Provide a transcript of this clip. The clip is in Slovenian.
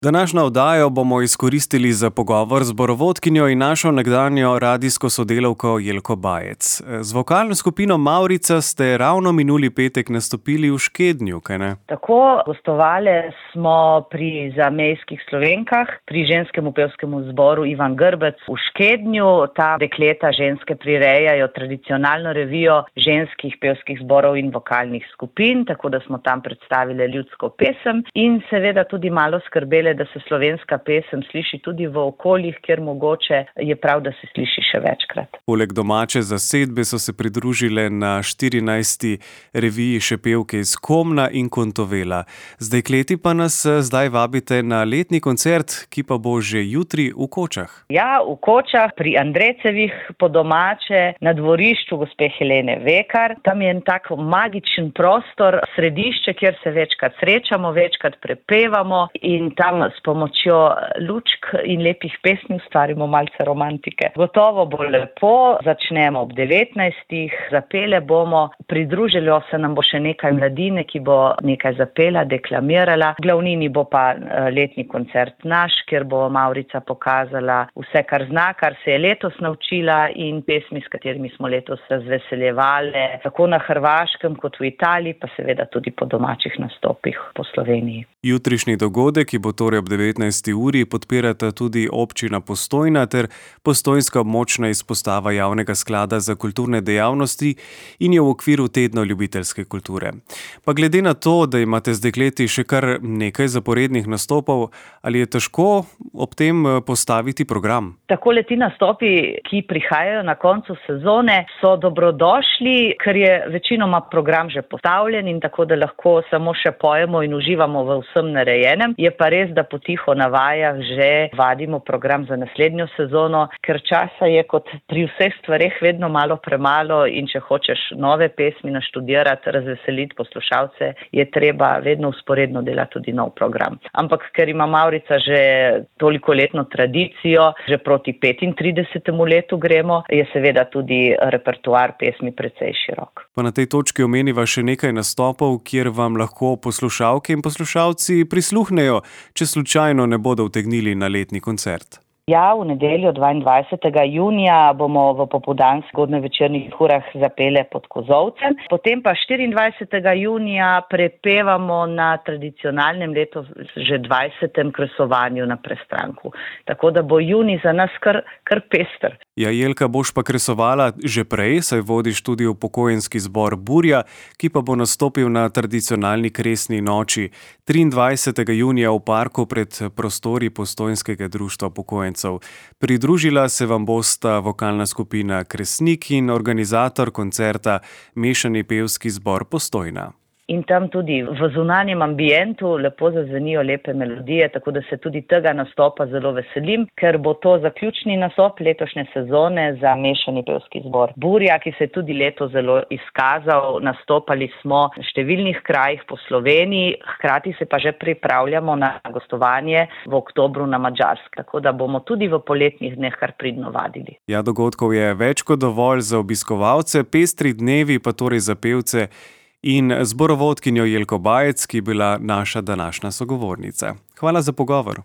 Današnjo oddajo bomo izkoristili za pogovor z zborovodkinjo in našo nekdanjo radijsko sodelavko Jelko Bajec. Z vokalno skupino Mavrica ste ravno minuli petek nastopili v Škednju, kaj ne? Tako, gostovali smo pri zamejskih Slovenkah, pri ženskem pevskemu zboru Ivan Grbec v Škednju. Ta dekleta ženske prirejajo tradicionalno revijo ženskih pevskih zborov in vokalnih skupin, tako da smo tam predstavili ljudsko pesem in seveda tudi malo skrbeli, da se slovenska pesem sliši tudi v okoljih, kjer mogoče je prav, da se sliši še večkrat. Poleg domače zasedbe so se pridružile na 14. reviji še pevke iz Komna in Kontovela. Z dekleti pa nas zdaj vabite na letni koncert, ki pa bo že jutri v Kočah. Ja, v Kočah, pri Andrecevih, po domače, na dvorišču gospe Helene Vekar. Tam je en tak magičen prostor, središče, kjer se večkrat srečamo, večkrat prepevamo in tam s pomočjo lučk in lepih pesmi ustvarimo malce romantike. Gotovo bo lepo, začnemo ob 19. Zapele bomo, pridružilo se nam bo še nekaj mladine, ki bo nekaj zapela, deklamirala. Glavnini bo pa letni koncert naš, kjer bo Mavrica pokazala vse, kar zna, kar se je letos naučila in pesmi, s katerimi smo letos razveseljevali, tako na Hrvaškem kot v Italiji, pa seveda tudi po domačih nastopih po Sloveniji. Jutrišnji dogodek, ki bo torej ob 19. uri, podpirata tudi občina Postojna ter postojnska območna izpostava Javnega sklada za kulturne dejavnosti in je v okviru tedna ljubiteljske kulture. Pa glede na to, da imate z dekleti še kar nekaj zaporednih nastopov, ali je težko ob tem postaviti program? Takole ti nastopi, ki prihajajo na koncu sezone, so dobrodošli, ker je večinoma program že postavljen in tako, da lahko samo še pojemo in uživamo v vsem narejenem. Je pa res, da potiho na vajah že vadimo program za naslednjo sezono, ker časa je kot pri vseh stvareh vedno malo premalo in če hočeš nove pesmi naštudirati, razveseliti poslušalce, je treba vedno vzporedno delati tudi nov program. Ampak ker ima Mavrica že toliko letno tradicijo, že proti 35. letu gremo, je seveda tudi repertoar pesmi precej širok. Pa na tej točki omeniva še nekaj nastopov, kjer vam lahko poslušalke in poslušalci prisluhnejo, če slučajno ne bodo utegnili na letni koncert. Ja, v nedeljo 22. junija bomo v popoldanskih zgodnje večernih urah zapele pod Kozolcem. Potem pa 24. junija prepevamo na tradicionalnem letu že 20. kresovanju na Prestranku. Tako da bo junij za nas kar pester. Ja, Jelka, boš pa kresovala že prej, saj vodiš tudi upokojenski zbor Burja, ki pa bo nastopil na tradicionalni kresni noči 23. junija v parku pred prostori Postojnskega društva upokojencev. Pridružila se vam bosta vokalna skupina Kresnik in organizator koncerta Mešani pevski zbor Postojna. In tam tudi v zunanjem ambientu lepo zazvenijo lepe melodije, tako da se tudi tega nastopa zelo veselim, ker bo to zaključni nastop letošnje sezone za Mešani pevski zbor Burja, ki se je tudi letos zelo izkazal. Nastopali smo v številnih krajih po Sloveniji, hkrati se pa že pripravljamo na gostovanje v oktobru na Madžarskem, tako da bomo tudi v poletnih dneh kar pridno vadili. Ja, dogodkov je več kot dovolj za obiskovalce, pestri dnevi pa torej za pevce in zborovodkinjo Jelko Bajec, ki je bila naša današnja sogovornica. Hvala za pogovor.